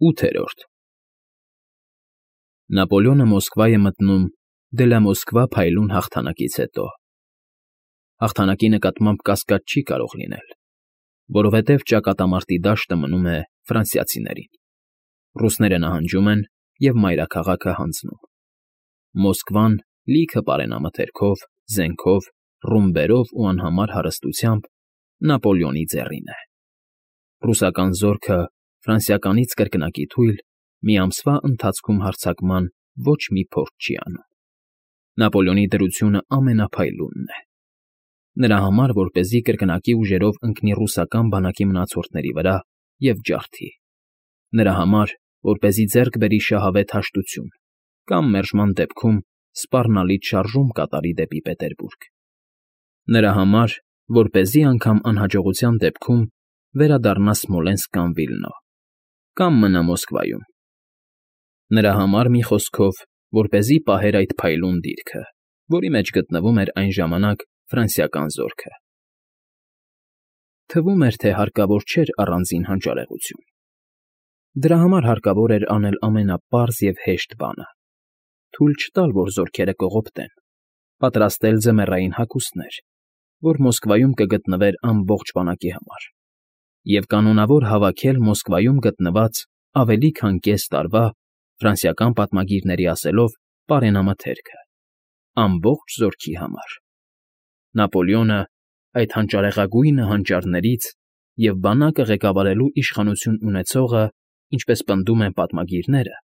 8-րդ Նապոլեոնը Մոսկվա է մտնում դե լա Մոսկվա փայլուն հաղթանակից հետո։ Հաղթանակի նկատմամբ կասկած չի կարող լինել, որովհետև ճակատամարտի դաշտը մնում է ֆրանսիացիներին։ Ռուսները նահանջում են և մայրաքաղաքը հանձնում։ Մոսկվան լիքը պարենամթերքով, զենքով, ռումբերով ու անհամար հարստությամբ Նապոլեոնի ձեռին է։ Ռուսական զորքը ֆրանսիականից կրկնակի թույլ մի ամսվա ընթացքում հարձակման ոչ մի փորձ չի անում։ Նապոլեոնի դրությունը ամենափայլունն է։ Նրա համար, որպեսզի կրկնակի ուժերով ընկնի ռուսական բանակի մնացորդների վրա և ջարդի։ Նրա համար, որպեսզի ձեռք բերի շահավետ հաշտություն կամ մերժման դեպքում սպառնալից շարժում կատարի դեպի Պետերբուրգ։ Նրա համար, որպեսզի անգամ անհաջողության դեպքում վերադառնա Սմոլենսկ կամ Վիլնո, կամ մնա Մոսկվայում։ Նրա համար, մի խոսքով, որպեսզի պահեր այդ փայլուն դիրքը, որի մեջ գտնվում էր այն ժամանակ ֆրանսիական զորքը։ Թվում էր, թե հարկավոր չէր առանձին հանճարեղություն։ Դրա համար հարկավոր էր անել ամենապարզ և հեշտ բանը՝ թույլ չտալ, որ զորքերը կողոպտեն, պատրաստել ձմեռային հագուստներ, որ Մոսկվայում կգտնվեր ամբողջ բանակի համար, և կանոնավոր հավաքել Մոսկվայում գտնված ավելի քան կես տարվա, ֆրանսիական պատմագիրների ասելով, պարենամթերքը, ամբողջ զորքի համար։ Նապոլեոնը այդ հանճարեղագույնը հանճարներից և բանակը ղեկավարելու իշխանություն ունեցողը, ինչպես պնդում են պատմագիրները,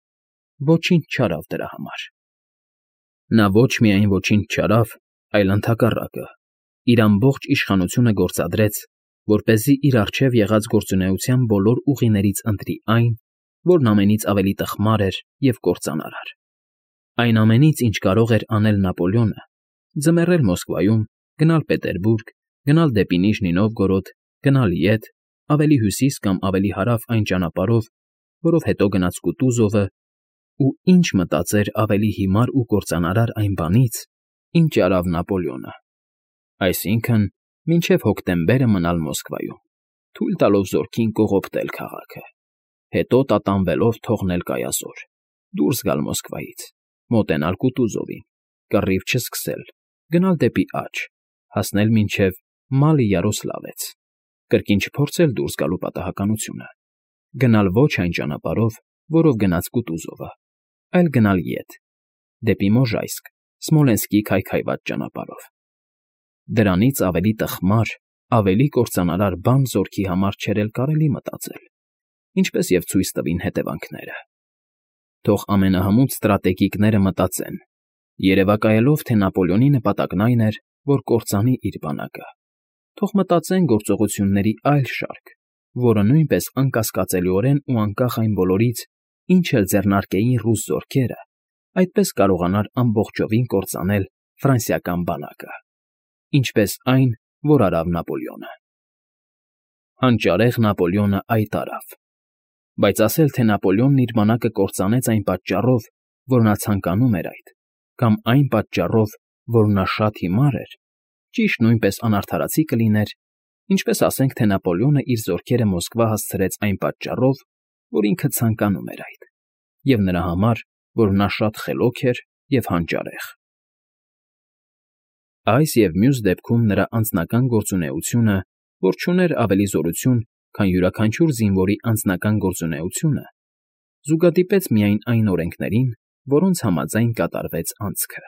ոչինչ չարավ դրա համար։ Նա ոչ միայն ոչինչ չարավ, այլ ընդհակառակը, իր ամբողջ իշխանությունը գործադրեց, որպեսզի իր առջև եղած գործունեության բոլոր ուղիներից ընտրի այն, որն ամենից ավելի տխմար էր և կործանարար։ Այն ամենից, ինչ կարող էր անել Նապոլեոնը, ձմեռել Մոսկվայում, գնալ Պետերբուրգ, գնալ դեպի Նիժնի Նովգորոդ, գնալ ետ, ավելի հյուսիս կամ ավելի հարավ այն ճանապարհով, որով հետո գնաց Կուտուզովը, ու ինչ մտածեր ավելի հիմար ու կործանարար այն բանից, ինչ արավ Նապոլեոնը, այսինքն՝ մինչև հոկտեմբերը մնալ Մոսկվայում, թույլ տալով զորքին կողոպտել քաղաքը, հետո տատանվելով թողնել կայազոր, դուրս գալ Մոսկվայից, մոտենալ Կուտուզովին, կռիվ չսկսել, գնալ դեպի աջ, հասնել մինչև Մալի֊Յարոսլավեց, կրկին չփորձել դուրս գալու պատահականությունը, գնալ ոչ այն ճանապարհով, որով գնաց Կուտուզովը, այլ գնալ ետ, դեպի Մոժայսկ, Սմոլենսկի քայքայված ճանապարհով։ Դրանից ավելի տխմար, ավելի կործանարար բան զորքի համար չէր էլ կարելի մտածել, ինչպես և ցույց տվին հետևանքները։ Թող ամենահմուտ ստրատեգիկները մտածեն, երևակայելով, թե Նապոլեոնի նպատակն այն էր, որ կործանի իր բանակը։ Թող մտածեն գործողությունների այլ շարք, որը նույնպես անկասկածելիորեն ու անկախ այն բոլորից, ինչ էլ ձեռնարկեին ռուս զորքերը, այդպես կարողանար ամբողջովին կործանել ֆրանսիական բանակը, ինչպես այն, որ արավ Նապոլեոնը։ Հանճարեղ Նապոլեոնը այդ արավ, բայց ասել, թե Նապոլեոնն իր բանակը կործանեց այն պատճառով, որ նա ցանկանում էր այդ, կամ այն պատճառով, որ նա շատ հիմար էր, ճիշտ նույնպես անարդարացի կլիներ, ինչպես ասենք, թե Նապոլեոնը իր զորքերը Մոսկվա հասցրեց այն պատճառով, որ ինքը ցանկանում էր այդ, և նրա համար, որ նա շատ խելոք էր և հանճարեղ։ Այս և մյուս դեպքում նրա անձնական գործունեությունը, որ չուներ ավելի զորություն, քան յուրաքանչյուր զինվորի անձնական գործունեությունը, զուգադիպեց միայն այն օրենքներին, որոնց համաձայն կատարվեց անցքը։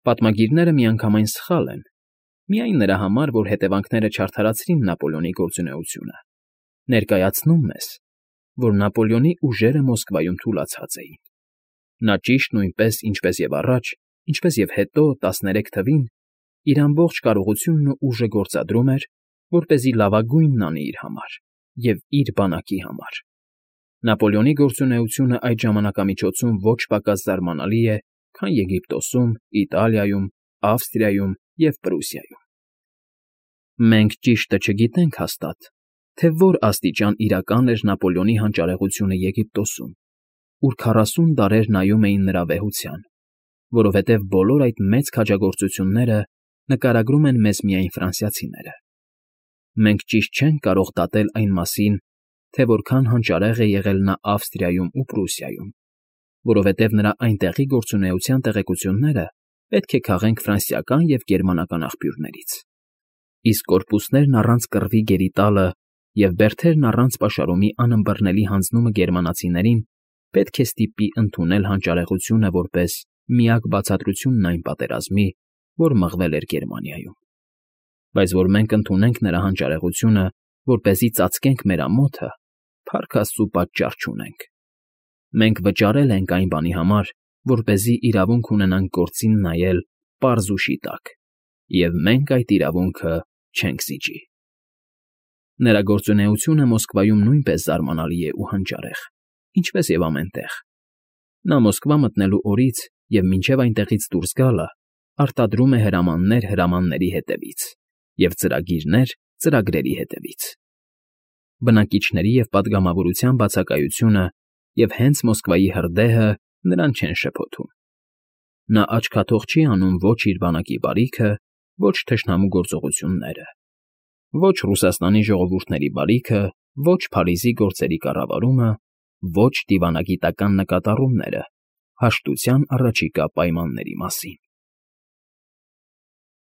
Պատմագիրները միանգամայն սխալ են, միայն նրա համար, որ հետևանքները չարդարացրին Նապոլեոնի գործունեությունը, ներկայացնում մեզ, որ Նապոլեոնի ուժերը Մոսկվայում թուլացած էին։ Նա ճիշտ նույնպես, ինչպես և առաջ, ինչպես և հետո 13 թվին, իր ամբողջ կարողությունն ու ուժը գործադրում էր, որպեսզի լավագույնն անի իր համար և իր բանակի համար։ Նապոլեոնի գործունեությունը այդ ժամանակամիջոցում ոչ պակաս զարմանալի է, քան Եգիպտոսում, Իտալիայում, Ավստրիայում և Պրուսիայում։ Մենք ճիշտը չգիտենք հաստատ, թե որ աստիճան իրական էր Նապոլեոնի հանճարեղությունը Եգիպտոսում, ուր 40 դարեր նայում էին նրա վեհության, որովհետև բոլոր այդ մեծ քաջագործությունները նկարագրում են մեզ միայն ֆրանսիացիները։ Մենք ճիշտ չենք կարող դատել այն մասին, թե որքան հանճարեղ է եղել նա Ավստրիայում ու Պրուսիայում, որովհետև նրա այնտեղի գործունեության տեղեկությունները պետք է քաղենք ֆրանսիական և գերմանական աղբյուրներից, իսկ կորպուսներն առանց կռվի գերի տալը և բերդերն առանց պաշարումի անըմբռնելի հանձնումը գերմանացիներին պետք է ստիպի ընդունել հանճարեղությունը որպես միակ բացատրությունն այն պատերազմի, որ մղվել էր Գերմանիայում, բայց որ մենք ընդունենք նրա հանճարեղությունը, որպեսզի ծածկենք մեր ամոթը, փառք աստծու, պատճառ չունենք. մենք վճարել ենք այն բանի համար, որպեսզի իրավունք ունենանք գործին նայել պարզ ու շիտակ, և մենք այդ իրավունքը չենք զիջի։ Նրա գործունեությունը Մոսկվայում նույնպես զարմանալի է ու հանճարեղ, ինչպես և ամեն տեղ։ Նա Մոսկվա մտնելու օրից և մինչև այնտեղից դուրս գալը արտադրում է հրամաններ հրամանների հետևից և ծրագիրներ ծրագրերի հետևից։ Բնակիչների և պատգամավորության բացակայությունը և հենց Մոսկվայի հրդեհը նրան չեն շփոթում։ Նա աչքաթող չի անում ոչ իր բանակի բարիքը, ոչ թշնամու գործողությունները, ոչ Ռուսաստանի ժողովուրդների բարիքը, ոչ Փարիզի գործերի կառավարումը, ոչ դիվանագիտական նկատառումները հաշտության առաջիկա պայմանների մասին։